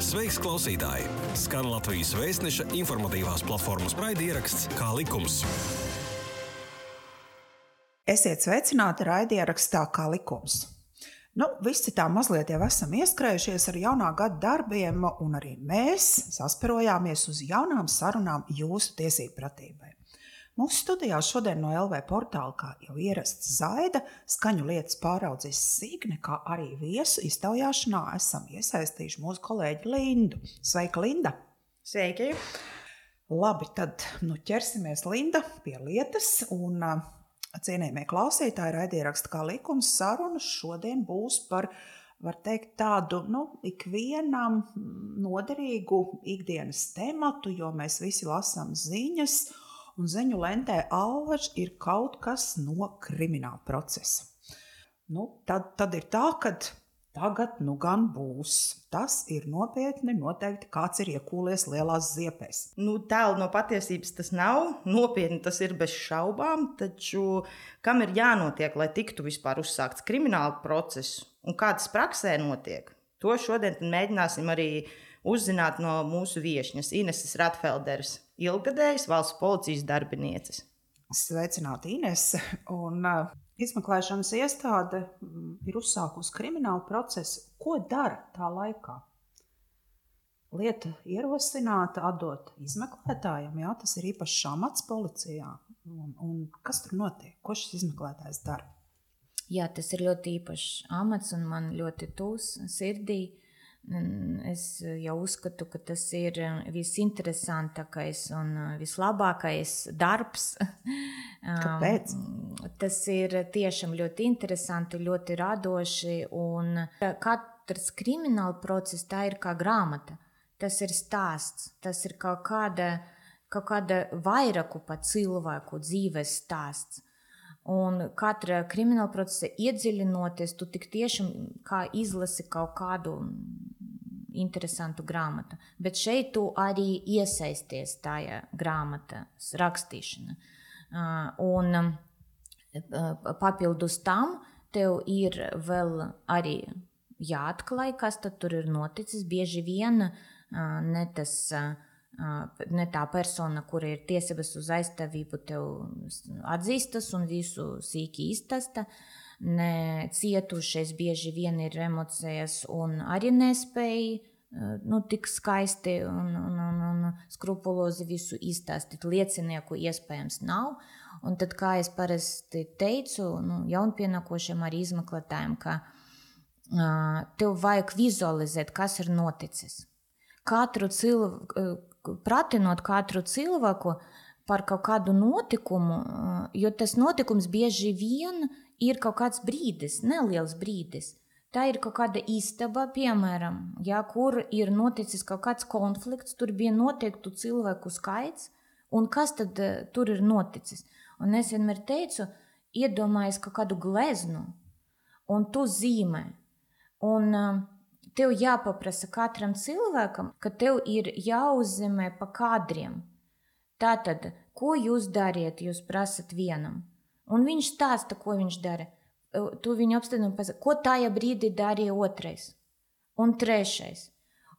Sveiks, klausītāji! Skan Latvijas Vēstneša informatīvās platformas raidieraksts Kā likums. Esiet sveicināti raidierakstā Kā likums. Visi tā mazliet jau esam ieskrējušies ar jaunā gada darbiem, un arī mēs sasperojāmies uz jaunām sarunām jūsu tiesību pratībai. Mūsu studijā šodien no LV portāla, kā jau ierasts, Zaida, skaņu lietas pāraudzis Signe, kā arī viesu iztaujāšanā esam iesaistījuši mūsu kolēģi Lindu. Sveika, Linda! Sveiki! Labi, tad ķersimies, Linda, pie lietas, un cienījamie klausītāji, raidieraksta Kā likums sarunas šodien būs par, var teikt, tādu, ikvienam noderīgu ikdienas tematu, jo mēs visi lasām ziņas, un ziņu lentē allaž ir kaut kas no krimināla procesa. Tad ir tā, ka tagad gan būs. Tas ir nopietni, noteikti kāds ir iekūlies lielās ziepēs. Tālu no patiesības tas nav, nopietni tas ir bez šaubām, taču kam ir jānotiek, lai tiktu vispār uzsākts krimināla process un kā tas praksē notiek? To šodien mēģināsim arī uzzināt no mūsu viešņas Ineses Ratfelderes, ilggadējas valsts policijas darbinieces. Sveicināti, Inese! Un izmeklēšanas iestāde ir uzsākusi kriminālu procesu. Ko dara tā laikā? Lieta ierosināta atdot izmeklētājiem, tas ir īpašs amats policijā. Un kas tur notiek? Ko šis izmeklētājs dara? Jā, tas ir ļoti īpašs amats un man ļoti tūs sirdī. Es jau uzskatu, ka tas ir visinteresantākais un vislabākais darbs. Kāpēc? Tas ir tiešām ļoti interesanti, ļoti radoši, un katrs krimināla process tā ir kā grāmata. Tas ir stāsts, tas ir kaut kāda vairāku pat cilvēku dzīves stāsts. Un katra krimināla procesa iedziļinoties, tu tik tiešām kā izlasi kaut kādu interesantu grāmatu. Bet šeit tu arī iesaisties tajā grāmatas rakstīšana. Un papildus tam tev ir vēl arī jāatklāj, kas tad tur ir noticis. Bieži vien ne tā persona, kura ir tiesības uz aizstāvību, tev atzīstas un visu sīki iztasta. Ne cietušais bieži vien ir emocijas un arī nespēja tik skaisti un skrupulozi visu izstāstīt. Liecinieku iespējams nav. Un tad, kā es parasti teicu, jaunpienākošiem arī izmeklētājiem, ka tev vajag vizualizēt, kas ir noticis. Pratinot katru cilvēku par kaut kādu notikumu, jo tas notikums bieži vien ir kaut kāds brīdis, neliels brīdis. Tā ir kaut kāda istaba, piemēram, kur ir noticis kaut kāds konflikts, tur bija noteiktu cilvēku skaits, un kas tad tur ir noticis. Un es vienmēr teicu, iedomājies kaut kādu gleznu, un tu zīmē. Un tev jāpaprasa katram cilvēkam, ka tev ir jāuzzīmē pa kadriem. Tātad, ko jūs dariet, jūs prasat vienam. Un viņš stāsta, ko viņš dara. Tu viņu apstādini un pasaka, ko tajā brīdī darīja otrais un trešais.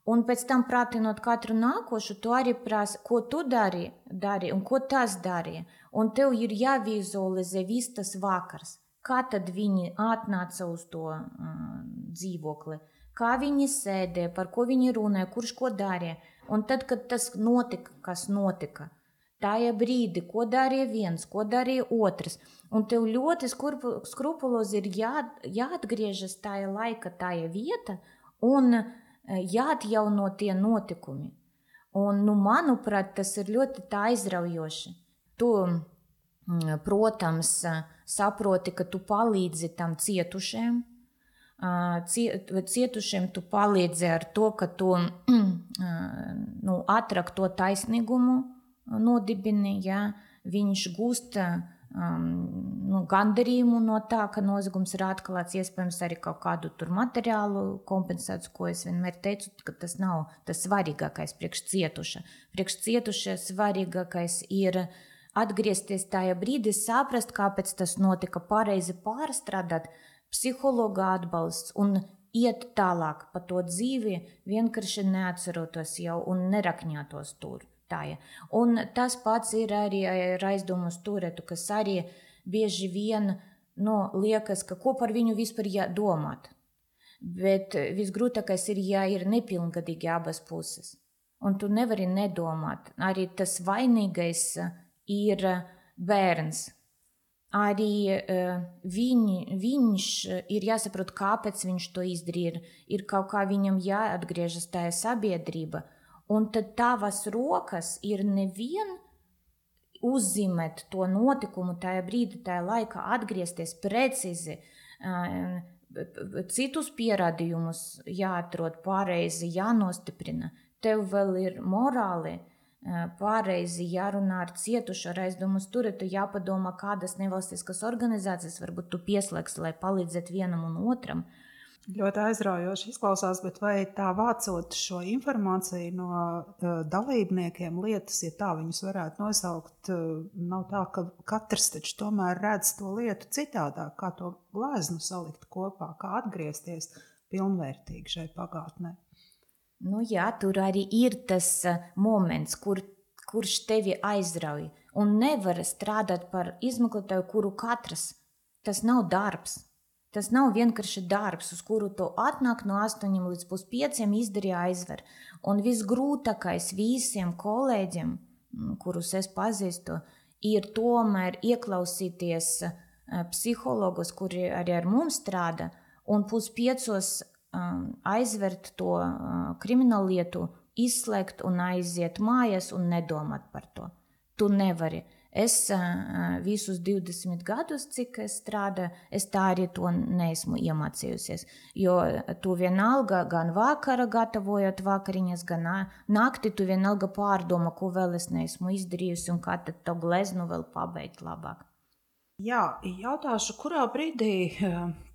Un pēc tam pratinot katru nākošu, tu arī prasa, ko tu darīji un ko tas darīja. Un tev ir jāvizualizē viss tas vakars. Kā tad viņi atnāca uz to dzīvokli? Kā viņi sēdēja, par ko viņi runāja, kurš ko darīja. Un tad, kad tas notika, kas notika, tajā brīdī, ko darīja viens, ko darīja otrs. Un tev ļoti skrupulozi ir jāatgriežas tajā laika, tajā vieta un jāatjauno tie notikumi. Un, manuprāt, tas ir ļoti tā aizraujoši. Tu, protams, saproti, ka tu palīdzi tam cietušiem. Cietušiem tu palīdzi ar to, ka tu atrak to taisnīgumu nodibini, viņš gūst gandarījumu no tā, ka noziegums ir atklāts, iespējams arī kaut kādu tur materiālu kompensāciju, ko es vienmēr teicu, ka tas nav tas svarīgākais priekš cietuša. Priekš cietuša svarīgākais ir atgriezties tajā brīdī, saprast, kāpēc tas notika, pareizi pārstrādāt, psihologa atbalsts un iet tālāk pa to dzīvi, vienkārši neatcerotos jau un nerakņātos tur. Tā, ja. Un tas pats ir arī ar aizdomu uz turetu, kas arī bieži vien liekas, ka ko par viņu vispār jādomāt. Bet visgrūtākais ir, ja ir nepilngadīgi abas puses. Un tu nevari nedomāt. Arī tas vainīgais ir bērns. Arī viņš ir jāsaprot, kāpēc viņš to izdarīja. Ir kaut kā viņam jāatgriežas tajā sabiedrība. Un tad tavas rokas ir nevien uzzīmēt to notikumu tajā brīdī, tajā laikā, atgriezties precīzi, citus pierādījumus jāatrod pareizi, jānostiprina. Tev vēl ir morāli pareizi jārunā ar cietušu, ar aizdomu uz turetu, jāpadomā, kādas nevalstiskas organizācijas varbūt tu pieslēgsi, lai palīdzētu vienam un otram. Ļoti aizraujoši izklausās, bet vai tā vācot šo informāciju no dalībniekiem lietas, ja tā viņus varētu nosaukt, nav tā, ka katrs taču tomēr redz to lietu citādāk, kā to gleznu salikt kopā, kā atgriezties pilnvērtīgi šai pagātnē? Jā, tur arī ir tas moments, kurš tevi aizrauj un nevar strādāt par izmeklētāju, kuru katrs. Tas nav darbs. Tas nav vienkārši darbs, uz kuru tu atnāk no 8 līdz 5 izdarīja aizver. Un visgrūtākais visiem kolēģiem, kurus es pazīstu, ir tomēr ieklausīties psihologus, kuri arī ar mums strādā, un 4:30 aizvert to kriminālu lietu, izslēgt un aiziet mājās un nedomāt par to. Tu nevari. Es visus 20 gadus, cik es strādāju, es tā arī to neesmu iemācījusies. Jo tu vienalga gan vakara gatavojot vakariņas, gan nakti tu vienalga pārdomā, ko vēl es neesmu izdarījusi un kā tad to gleznu vēl pabeigt labāk. Jā, jautāšu, kurā brīdī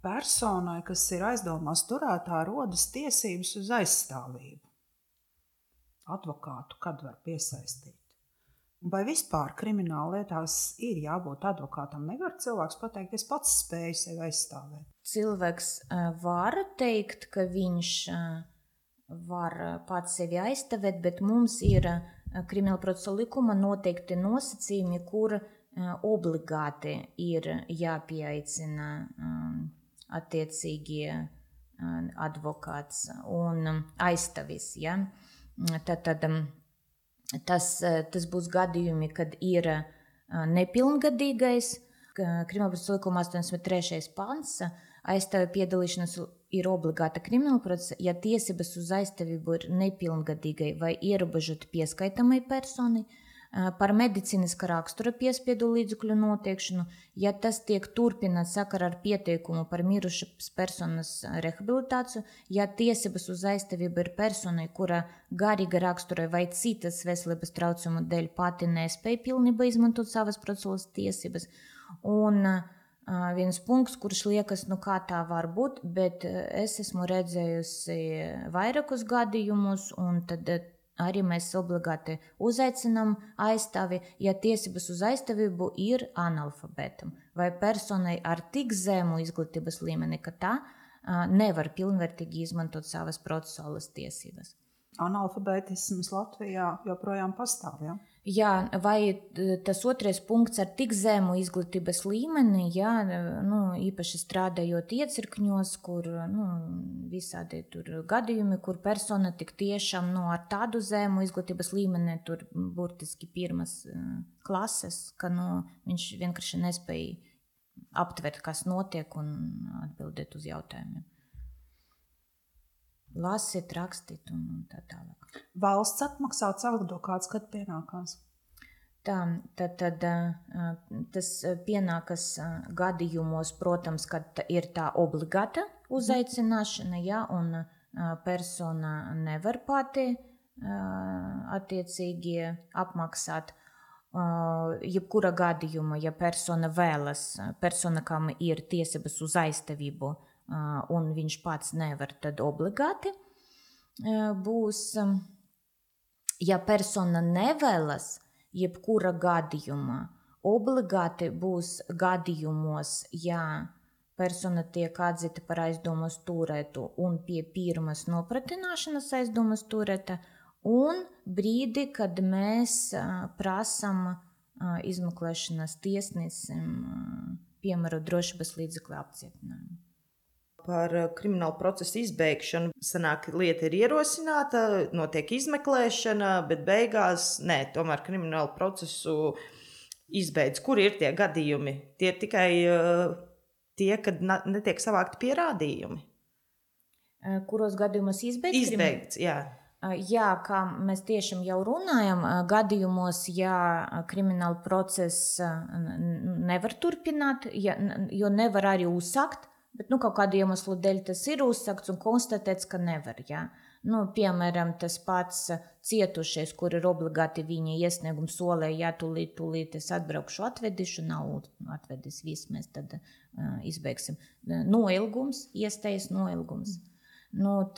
personai, kas ir aizdomās turētā, rodas tiesības uz aizstāvību? Advokātu kad var piesaistīt? Vai vispār krimināla lietās ir jābūt advokātam? Nevar cilvēks pateikt, es pats spēju sevi aizstāvēt. Cilvēks var teikt, ka viņš var pats sevi aizstāvēt, bet mums ir krimināla procesa likuma noteikti nosacījumi, kur obligāti ir jāpieaicina attiecīgie advokāts un aizstāvis. Ja? Tas būs gadījumi, kad ir nepilngadīgais. Krimināla procesa likuma 83. pants aizstāvja piedalīšanās ir obligāta krimināla procesa, ja tiesības uz aizstāvību ir nepilngadīgai vai ierobežoti pieskaitamai personai, par medicīniskā rakstura piespiedu līdzekļu noteikšanu, ja tas tiek turpināts sakarā ar pieteikumu par mirušas personas rehabilitāciju, ja tiesības uz aizstāvību ir personai, kura garīga rakstura vai citas veselības traucējumu dēļ pati nespēja pilnībā izmantot savas procesuālās tiesības. Un viens punkts, kurš liekas, kā tā var būt, bet es esmu redzējusi vairākus gadījumus, un tad arī mēs obligāti uzaicinām aizstāvi, ja tiesības uz aizstāvību ir analfabētam vai personai ar tik zemu izglītības līmeni, ka tā nevar pilnvērtīgi izmantot savas procesuālas tiesības. Analfabētisms Latvijā joprojām pastāv, ja? Jā, vai tas otrais punkts ar tik zemu izglītības līmeni, jā, īpaši strādājot iecirkņos, kur visādi tur gadījumi, kur persona tik tiešām ar tādu zemu izglītības līmeni, tur burtiski pirmas klases, ka viņš vienkārši nespēja aptvert, kas notiek un atbildēt uz jautājumiem. Lasīt, rakstīt un tā tālāk. Valsts atmaksāts advokāts, kad pienākās? Tad tas pienākas gadījumos, protams, kad ir tā obligāta uzaicināšana, ja, un persona nevar pati attiecīgi apmaksāt. Jebkura gadījuma, ja persona vēlas, persona, kam ir tiesības uz aizstāvību, un viņš pats nevar, tad obligāti būs. Ja persona nevēlas, jebkura gadījumā, obligāti būs gadījumos, ja persona tiek atzīta par aizdomas turētu un pie pirmas nopratināšanas aizdomas turēta, un brīdi, kad mēs prasam izmeklēšanas tiesnesim piemērot drošības līdzekļu apcietinājumu. Par kriminālu procesu izbeigšanu sanāk, lieta ir ierosināta, notiek izmeklēšana, bet beigās tomēr kriminālu procesu izbeidz. Kur ir tie gadījumi? Tie ir tikai tie, kad netiek savākti pierādījumi. Kuros gadījumos izbeigts? Izbeigts, jā. Jā, kā mēs tiešām jau runājam, gadījumos, ja krimināla process nevar turpināt, jo nevar arī uzsākt, bet kaut kādu iemeslu dēļ tas ir uzsākts un konstatēts, ka nevar. Jā. Piemēram, tas pats cietušais, kur ir obligāti viņa iesniegums solē, ja tūlīt es atbraukšu atvedīšu, nav atvedis viss, mēs tad izbeigsim. Noilgums, iestājas noilgums.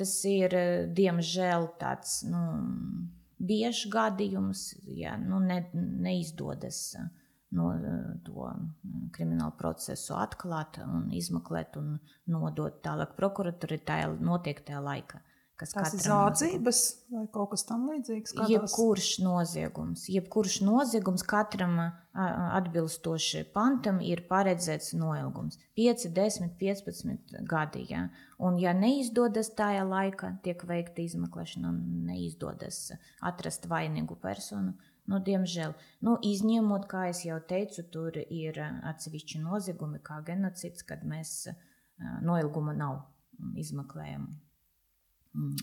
Tas ir, diemžēl, tāds biežs gadījums, ja neizdodas to kriminālu procesu atklāt un izmeklēt un nodot tālāk prokuratūrai tajā noteiktajā laikā. Tas ir zādzības vai kaut kas tam līdzīgs? Jebkurš noziegums katram atbilstoši pantam ir paredzēts noilgums. 5, 10, 15 gadi. Ja? Un ja neizdodas tajā laikā, tiek veikta izmeklēšana un neizdodas atrast vainīgu personu, diemžēl. Izņemot, kā es jau teicu, tur ir atsevišķi noziegumi, kā genocīds, kad mēs noilguma nav izmeklējami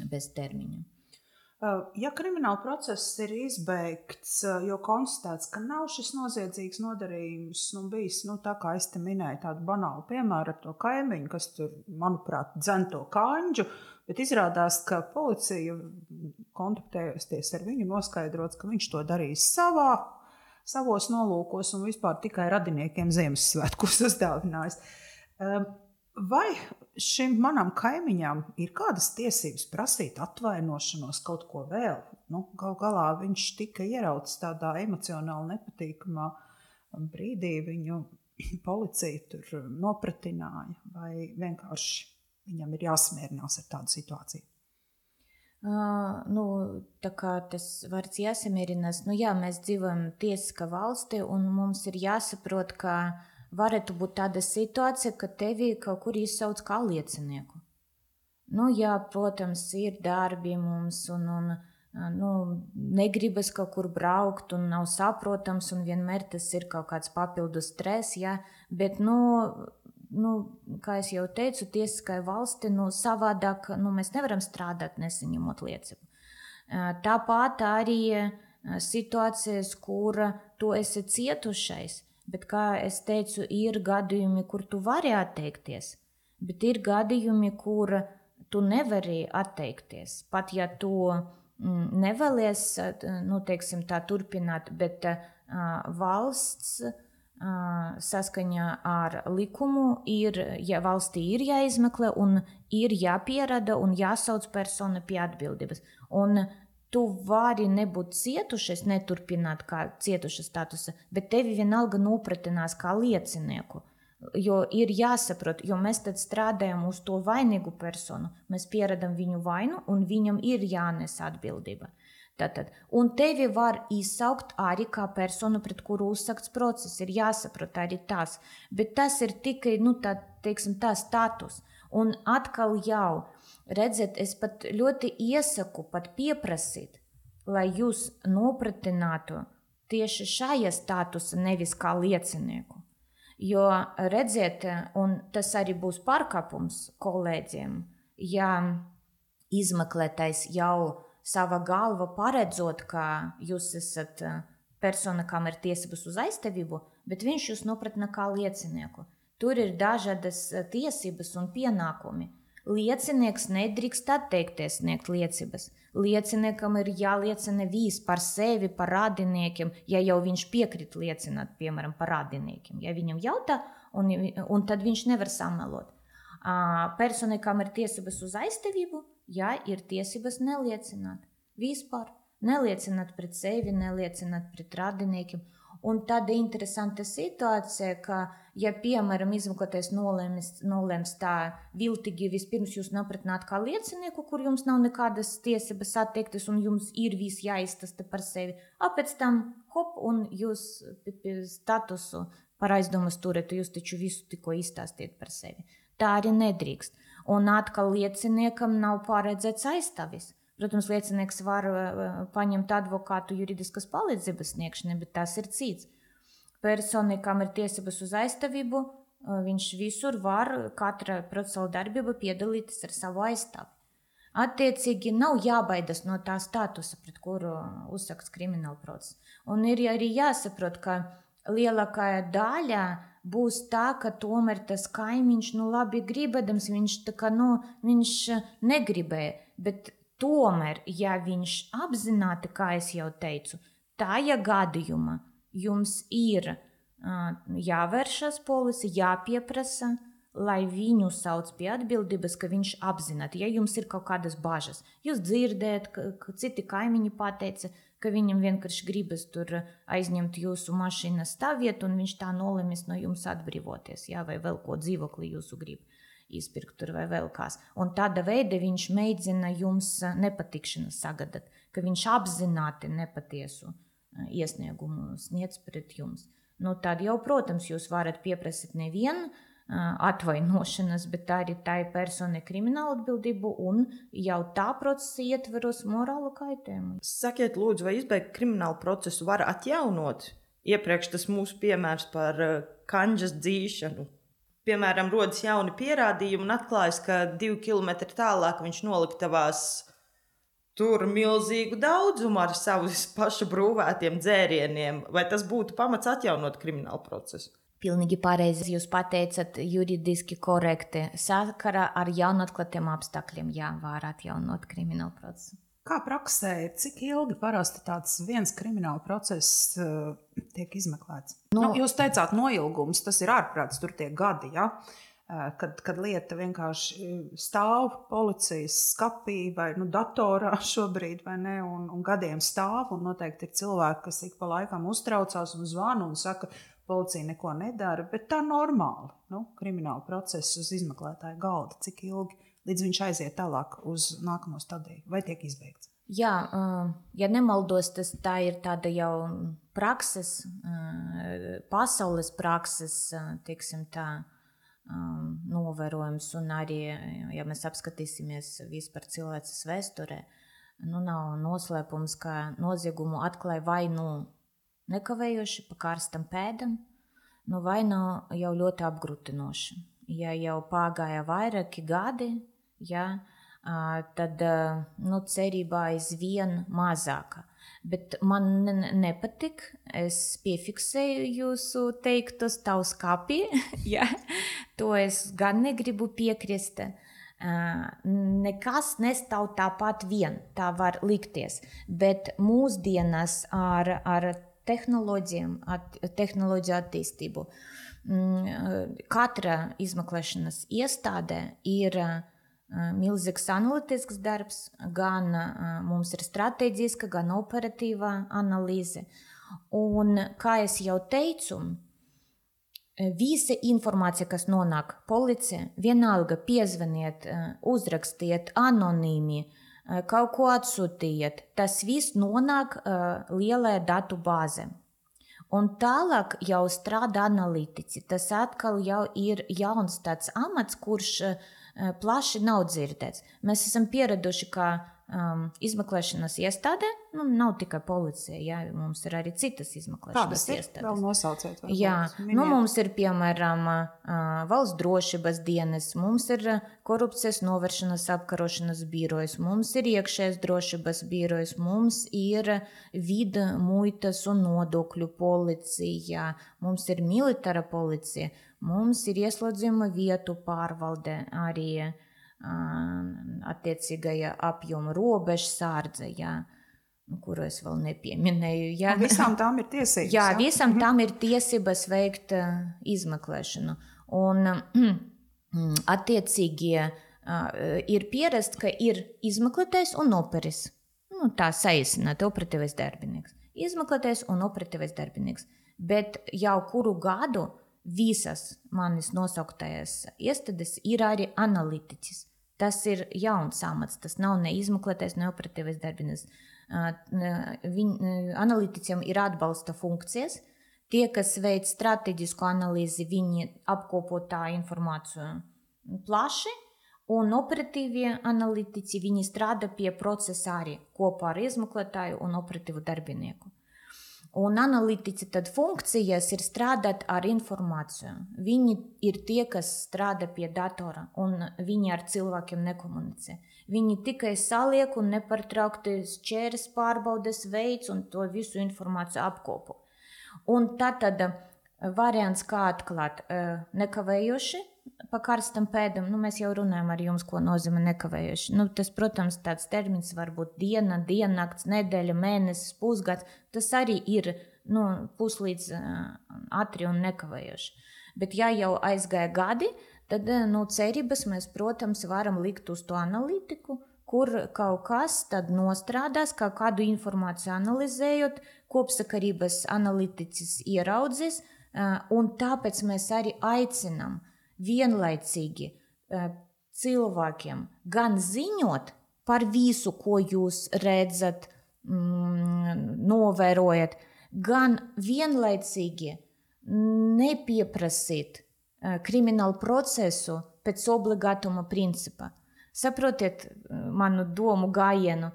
bez termiņa. Ja krimināla process ir izbeigts, jo konstatēts, ka nav šis noziedzīgs nodarījums, bijis, tā kā es te minēju, tādu banālu piemēru ar to kaimiņu, kas tur, manuprāt, dzen to kāņģu, bet izrādās, ka policija, kontaktējoties ar viņu, noskaidrots, ka viņš to darīs savos nolūkos un vispār tikai radiniekiem Ziemassvētkus uzdāvinājis. Vai šim manam kaimiņam ir kādas tiesības prasīt atvainošanos, kaut ko vēl? Gal galā viņš tika ierauts tādā emocionāli nepatīkamā brīdī, viņu policija tur nopratināja, vai vienkārši viņam ir jāsmierinās ar tādu situāciju? Tā kā tas vārds jāsamierinās, mēs dzīvojam tiesiskā valstī un mums ir jāsaprot, ka varētu būt tāda situācija, ka tevi kaut kur izsauc kā liecinieku. Jā, protams, ir darbi mums un negribas kaut kur braukt un nav saprotams un vienmēr tas ir kaut kāds papildus stress, jā, bet, kā es jau teicu, tiesiskai valsti, savādāk, mēs nevaram strādāt nesaņemot liecību. Tāpat arī situācijas, kur tu esi cietušais, bet, kā es teicu, ir gadījumi, kur tu vari atteikties, bet ir gadījumi, kur tu nevari atteikties. Pat ja tu nevēlies, teiksim tā, turpināt, bet valsts saskaņā ar likumu ja valstī ir jāizmeklē un ir jāpierada un jāsauc persona pie atbildības. Un tu vari nebūt cietušais, neturpināt kā cietuša statusa, bet tevi vienalga nopratinās kā liecinieku. Jo ir jāsaprot, jo mēs tad strādājam uz to vainīgu personu, mēs pieradam viņu vainu un viņam ir jānes atbildība. Tātad, un tevi var izsaukt arī kā personu, pret kuru uzsākts process, ir jāsaprot arī tās, bet tas ir tikai, tā status. Un atkal jau, redziet, es pat ļoti iesaku pat pieprasīt, lai jūs nopratinātu tieši šajā statusa, nevis kā liecinieku. Jo, redziet, un tas arī būs pārkāpums kolēģiem, ja izmeklētais jau sava galva paredzot, ka jūs esat persona, kam ir tiesības uz aizstāvību, bet viņš jūs nopratina kā liecinieku. Tur ir dažādas tiesības un pienākumi. Liecinieks nedrīkst atteikties sniegt liecības. Lieciniekam ir jāliecina viss par sevi, par radiniekiem, ja jau viņš piekrit liecināt, piemēram, par radiniekiem. Ja viņam jautā, un tad viņš nevar samelot. Personai, kam ir tiesības uz aizstāvību, ir tiesības neliecināt. Vispār. Neliecināt pret sevi, neliecināt pret radiniekiem. Un tāda interesanta situācija, ka, ja piemēram, izmeklētājs nolēms tā viltīgi vispirms jūs nopratnāt kā liecinieku, kur jums nav nekādas tiesības attiektas un jums ir viss jāiztasta par sevi, pēc tam hop, un jūs statusu par aizdomas turētu, jūs taču visu tikko izstāstiet par sevi. Tā arī nedrīkst. Un atkal lieciniekam nav paredzēts aizstāvis. Protams, liecinieks var paņemt advokātu juridiskas palīdzības sniegšanai, bet tas ir cits. Personai, kam ir tiesības uz aizstāvību, viņš visur var katra procesuāla darbība piedalīties ar savu aizstāvi. Attiecīgi nav jābaidas no tā statusa, pret kuru uzsākts krimināla process. Un ir arī jāsaprot, ka lielākā daļa būs tā, ka tomēr tas kaimiņš, labi gribēdams, viņš negribēja, bet tomēr, ja viņš apzināti, kā es jau teicu, tajā gadījumā jums ir jāvēršas policija, jāpieprasa, lai viņu sauc pie atbildības, ka viņš apzināti, ja jums ir kaut kādas bažas. Jūs dzirdējat, ka citi kaimiņi pateica, ka viņam vienkārši gribas tur aizņemt jūsu mašīnas stāvvietu, un viņš tā nolemis no jums atbrīvoties, vai vēl ko dzīvokli jūsu grib izpirkt tur vai vēl kās. Un tāda veida viņš mēģina jums nepatikšanu sagadāt, ka viņš apzināti nepatiesu iesniegumu sniedz pret jums. Tad jau, protams, jūs varat pieprasīt nevienu atvainošanas, bet arī tai personai kriminālu atbildību un jau tā procesa ietveros morālu kaitējumu. Sakiet, lūdzu, vai izbeigt kriminālu procesu var atjaunot? Iepriekš tas mūsu piemērs par kanģas dzīšanu. Piemēram, rodas jauni pierādījumi un atklājas, ka 2 kilometri tālāk viņš noliktavās tur milzīgu daudzumu ar savus pašu brūvētiem dzērieniem. Vai tas būtu pamats atjaunot kriminālu procesu? Pilnīgi pareizi jūs pateicat, juridiski korekti. Sakarā ar jaunatklātiem apstākļiem var atjaunot kriminālu procesu. Kā praksē ir, cik ilgi parasti tāds viens krimināla process tiek izmeklēts? Jūs teicāt noilgums, tas ir ārprāts, tur tie gadi, ja? Kad lieta vienkārši stāv policijas skapī vai datorā šobrīd, vai ne, un gadiem stāv, un noteikti ir cilvēki, kas ik pa laikam uztraucās un zvana un saka, policija neko nedara, bet tā normāli. Krimināla procesa uz izmeklētāju galda, cik ilgi, līdz viņš aiziet tālāk uz nākamo stadiju, vai tiek izbeigts? Jā, ja nemaldos, tā ir tāda jau prakses, pasaules prakses, teiksim tā, novērojums, un arī, ja mēs apskatīsimies vispār cilvēces vēsturē, nav noslēpums, ka noziegumu atklāja vai nekavējoši pa karstam pēdam, vai jau ļoti apgrūtinoši. Ja jau pagāja vairāki gadi, tad cerībā aizvien mazāka. Bet man nepatik, es piefiksēju jūsu teiktos tavs kapī, to es gan negribu piekrist. Nekas nestāv tāpat vien, tā var likties, bet mūsdienas ar tehnoloģiju attīstību. Katra izmeklēšanas iestādē ir milzīgs analītisks darbs, gan mums ir strateģiska, gan operatīva analīze. Un, kā es jau teicu, visa informācija, kas nonāk policija, vienalga piezvaniet, uzrakstiet anonīmi, kaut ko atsūtiet, tas viss nonāk lielajā datu bāzē. Un tālāk jau strādā analītiķi. Tas atkal jau ir jauns tāds amats, kurš plaši nav dzirdēts. Mēs esam pieraduši, ka izmeklēšanas iestādē, nav tikai policija, mums ir arī citas izmeklēšanas iestādes. Vēl nosauciet. Mums ir, piemēram, valsts drošības dienas, mums ir korupcijas novēršanas apkarošanas birojas, mums ir iekšējās drošības birojas, mums ir vida, muitas un nodokļu policija, mums ir militāra policija, mums ir ieslodzījuma vietu pārvalde arī attiecīgajā apjoma robežsārdze, kuru es vēl nepieminēju. Visām tām ir tiesības. Visām tām ir tiesības veikt izmeklēšanu. Un attiecīgi ir pierast, ka ir izmeklētājs un operis. Tā saīsināt, operatīvais darbinieks. Izmeklētājs un operatīvais darbinieks. Bet jau kuru gadu visas manis nosauktajās iestādes ir arī analītiķis. Tas ir jauns amats, tas nav ne izmeklētājs, ne operatīvais darbinieks. Analītiķiem ir atbalsta funkcijas. Tie, kas veic strateģisku analīzi, viņi apkopo tā informāciju plaši, un operatīvie analītiķi, viņi strādā pie procesa arī kopā ar izmeklētāju un operatīvu darbinieku. Un analītiķi tad funkcijas ir strādāt ar informāciju. Viņi ir tie, kas strādā pie datora, un viņi ar cilvēkiem nekomunicē. Viņi tikai saliek un nepārtraukti šķēres pārbaudes veids un to visu informāciju apkopo. Un tad variants, kā atklāt nekavējoši pa karstam pēdam, mēs jau runājam ar jums, ko nozīmē nekavējoši. Tas, protams, tāds termins var būt diena, diennakts, nedēļa, mēnesis, pusgads. Tas arī ir puslīdz ātri un nekavējoši. Bet ja jau aizgāja gadi, tad cerības mēs, protams, varam likt uz to analītiku, kur kaut kas tad nostrādās, kādu informāciju analizējot, kopsakarības analītiķis ieraudzīs, un tāpēc mēs arī aicinām vienlaicīgi cilvēkiem gan ziņot par visu, ko jūs redzat, novērojat, gan vienlaicīgi nepieprasīt kriminālu procesu pēc obligātuma principa. Saprotiet manu domu gājienu?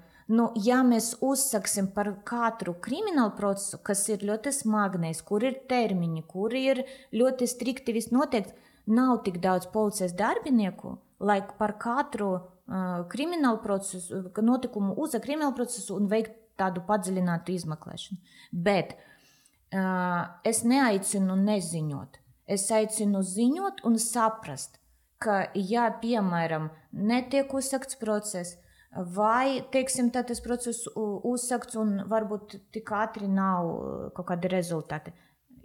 Ja mēs uzsaksim par katru kriminālu procesu, kas ir ļoti smagnējs, kur ir termiņi, kur ir ļoti strikti viss noteikts, nav tik daudz policijas darbinieku, lai par katru kriminālu procesu, notikumu uzsākt kriminālu procesu un veikt tādu padziļinātu izmeklēšanu. Bet es neaicinu neziņot. Es aicinu ziņot un saprast, ka, ja, piemēram, netiek uzsākts process, vai, teiksim, tas process uzsākts un varbūt tik ātri nav kaut kādi rezultāti.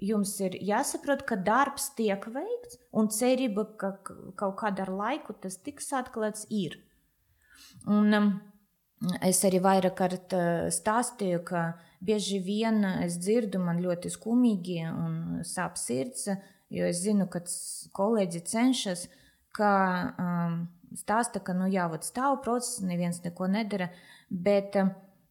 Jums ir jāsaprot, ka darbs tiek veikts un cerība, ka kaut kādā ar laiku tas tiks atklāts ir. Un es arī vairāk kārt stāstīju, ka bieži vien es dzirdu, man ļoti skumīgi un sāp sirds, jo es zinu, ka kolēģi cenšas, ka stāsta, ka stāv process, neviens neko nedara, bet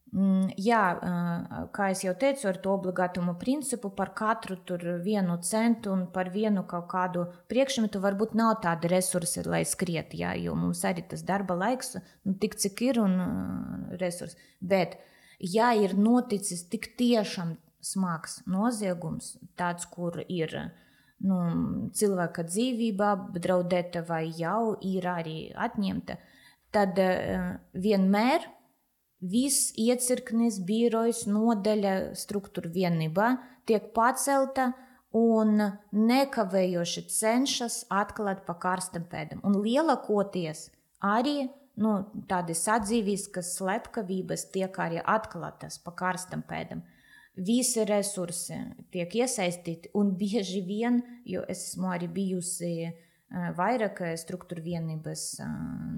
kā es jau teicu, ar to obligātumu principu par katru tur 1 centu un par vienu kaut kādu priekšmetu varbūt nav tādi resursi, lai skriet, jo mums arī tas darba laiks, tik cik ir un resursi. Bet, ja ir noticis tik tiešām smags noziegums, tāds, kur ir cilvēka dzīvība apdraudēta vai jau ir arī atņemta, tad vienmēr viss iecirknis, birojas, nodaļa, struktūra vienībā tiek pacelta un nekavējoši cenšas atklāt pa karstam pēdam. Un lielākoties arī tādas atzīviskas slepkavības tiek arī atklātas pa karstam pēdam. Visi resursi tiek iesaistīti un bieži vien, jo es esmu arī bijusi vairāk struktūra vienības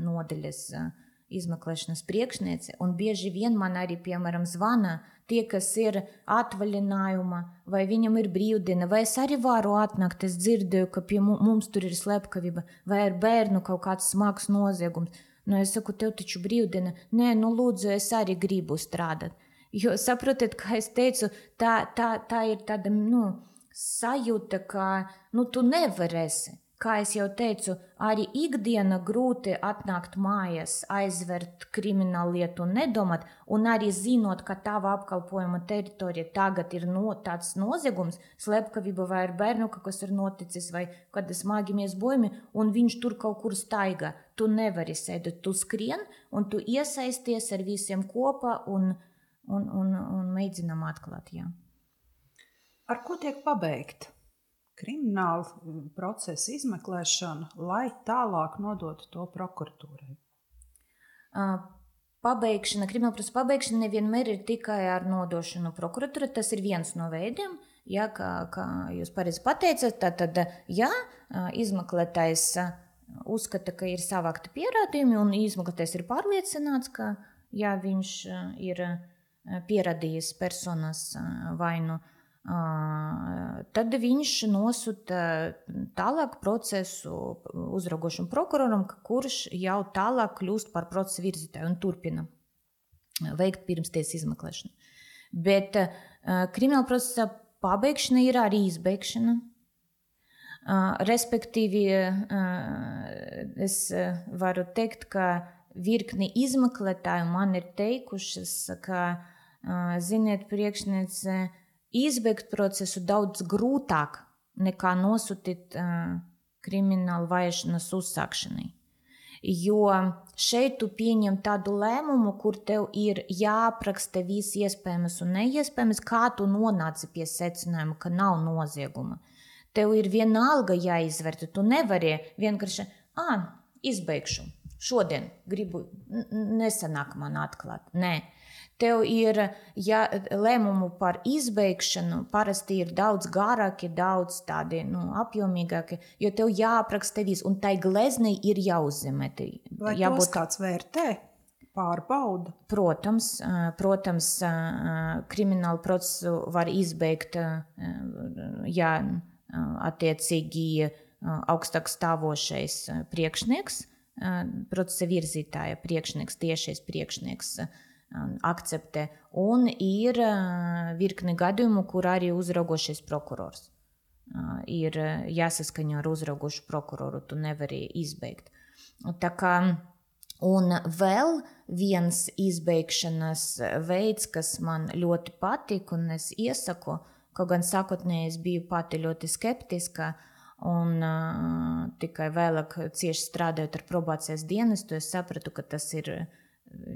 nodaļas izmeklēšanas priekšniece, un bieži vien man arī, piemēram, zvana tie, kas ir atvaļinājuma, vai viņam ir brīvdiena, vai es arī varu atnākt, es dzirdēju, ka pie mums tur ir slepkavība, vai ar bērnu kaut kāds smags noziegums. Es saku, tev taču brīvdiena, nē, lūdzu, es arī gribu strādāt. Jo, saprotiet, kā es teicu, tā ir tāda sajūta, ka tu nevarēsi. Kā es jau teicu, arī ikdiena grūti atnākt mājās, aizvert kriminālu lietu un nedomāt, un arī zinot, ka tava apkalpojuma teritorija tagad ir tāds noziegums, slepkavība vai ar bērnu, kas ir noticis, vai kāda smagi bojumi, un viņš tur kaut kur staigā. Tu nevari sēdēt, tu skrien, un tu iesaisties ar visiem kopā un mēģinām atklāt, jā. Ar ko tiek pabeigta krimināla procesa izmeklēšana, lai tālāk nodotu to prokuratūrai? Krimināla procesa pabeigšana nevienmēr ir tikai ar nodošanu prokuratūrai. Tas ir viens no veidiem, kā jūs pareizi pateicat. Tad, izmeklētājs uzskata, ka ir savākti pierādījumi, un izmeklētājs ir pārliecināts, ka viņš ir pierādījis personas vainu tad viņš nosūta tālāk procesu uzraugošam prokuroram, kurš jau tālāk kļūst par procesa virzītāju un turpina veikt pirmstiesas izmeklēšanu. Bet krimināla procesa pabeigšana ir arī izbeigšana. Respektīvi, es varu teikt, ka virkni izmeklētāju man ir teikušas, ka, ziniet, priekšniece, izbeigt procesu daudz grūtāk nekā nosūtīt kriminālu vajāšanas uzsākšanai. Jo šeit tu pieņem tādu lēmumu, kur tev ir jāapraksta viss iespējams un neiespējams, kā tu nonāci pie secinājuma, ka nav nozieguma. Tev ir vienalga jāizvērta, tu nevari vienkārši, izbeigšu, šodien gribu, nesanāk man atklāt. Nē, tev ir lēmumu par izbeigšanu, parasti ir daudz garāki, daudz tādi apjomīgāki, jo tev jāapraksta viss, un tai gleznei ir jāuzzemē. Vai tos kāds vērtē? Pārbauda? Protams, kriminālu procesu var izbeigt, ja attiecīgi augstāk stāvošais priekšnieks, procesa virzītāja priekšnieks, tiešais priekšnieks akceptē, un ir virkni gadījumu, kur arī uzraugošais prokurors. Ir jāsaskaņo ar uzraugošu prokuroru, tu nevari izbeigt. Tā kā, un vēl viens izbeigšanas veids, kas man ļoti patīk, un es iesaku, kaut gan sākotnēji es biju pati ļoti skeptiska, un tikai vēlāk cieši strādājot ar probācijas dienestu, es sapratu, ka tas ir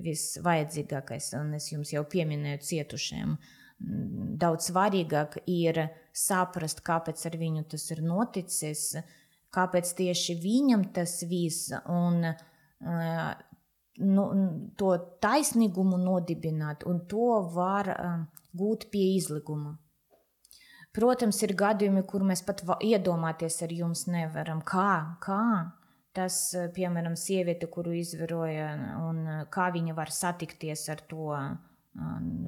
visvajadzīgākais, un es jums jau pieminēju cietušiem. Daudz svarīgāk ir saprast, kāpēc ar viņu tas ir noticis, kāpēc tieši viņam tas viss, un to taisnīgumu nodibināt, un to var gūt pie izlikuma. Protams, ir gadījumi, kur mēs pat iedomāties ar jums nevaram. Kā? Tas, piemēram, sieviete, kuru izvaroja, un kā viņa var satikties ar to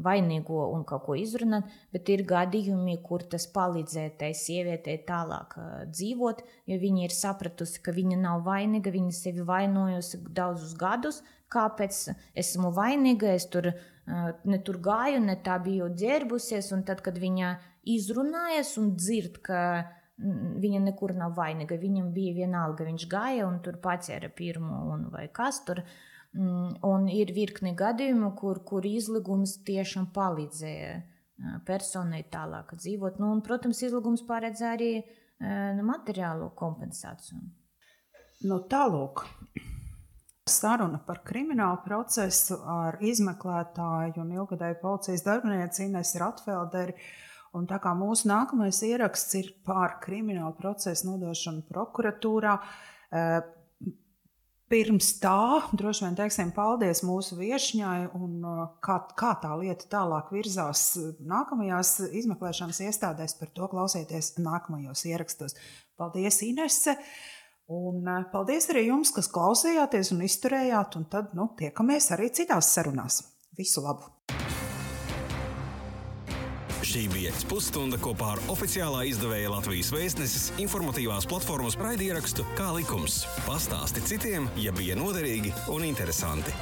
vainīgo un kaut ko izrunāt, bet ir gadījumi, kur tas palīdzēja tai sievietei tālāk dzīvot, jo viņa ir sapratusi, ka viņa nav vainīga, viņa sevi vainojusi daudzus gadus, kāpēc esmu vainīga, es ne tur gāju, ne tā biju ģērbusies, un tad, kad viņa izrunājas un dzird, ka viņa nekur nav vainīga, viņam bija vienalga, viņš gāja un tur paķēra pirmo un vai kas tur. Un ir virkni gadījumu, kur izlīgums tiešām palīdzēja personai tālāk dzīvot. Un, protams, izlīgums paredz arī materiālo kompensāciju. Tālūk, saruna par kriminālu procesu ar izmeklētāju un ilgadēju policijas darbinieci Inesu Ratfelderi. Un tā kā mūsu nākamais ieraksts ir par kriminālu procesu nodošanu prokuratūrā, pirms tā, droši vien teiksim paldies mūsu viešņai un kā tā lieta tālāk virzās nākamajās izmeklēšanas iestādēs, par to klausieties nākamajos ierakstos. Paldies, Inese, un paldies arī jums, kas klausījāties un izturējāt, un tad tiekamies arī citās sarunās. Visu labu! Šī bija pusstunda kopā ar oficiālā izdevēja Latvijas Vēstneses informatīvās platformas raidierakstu Kā likums. Pastāsti citiem, ja bija noderīgi un interesanti.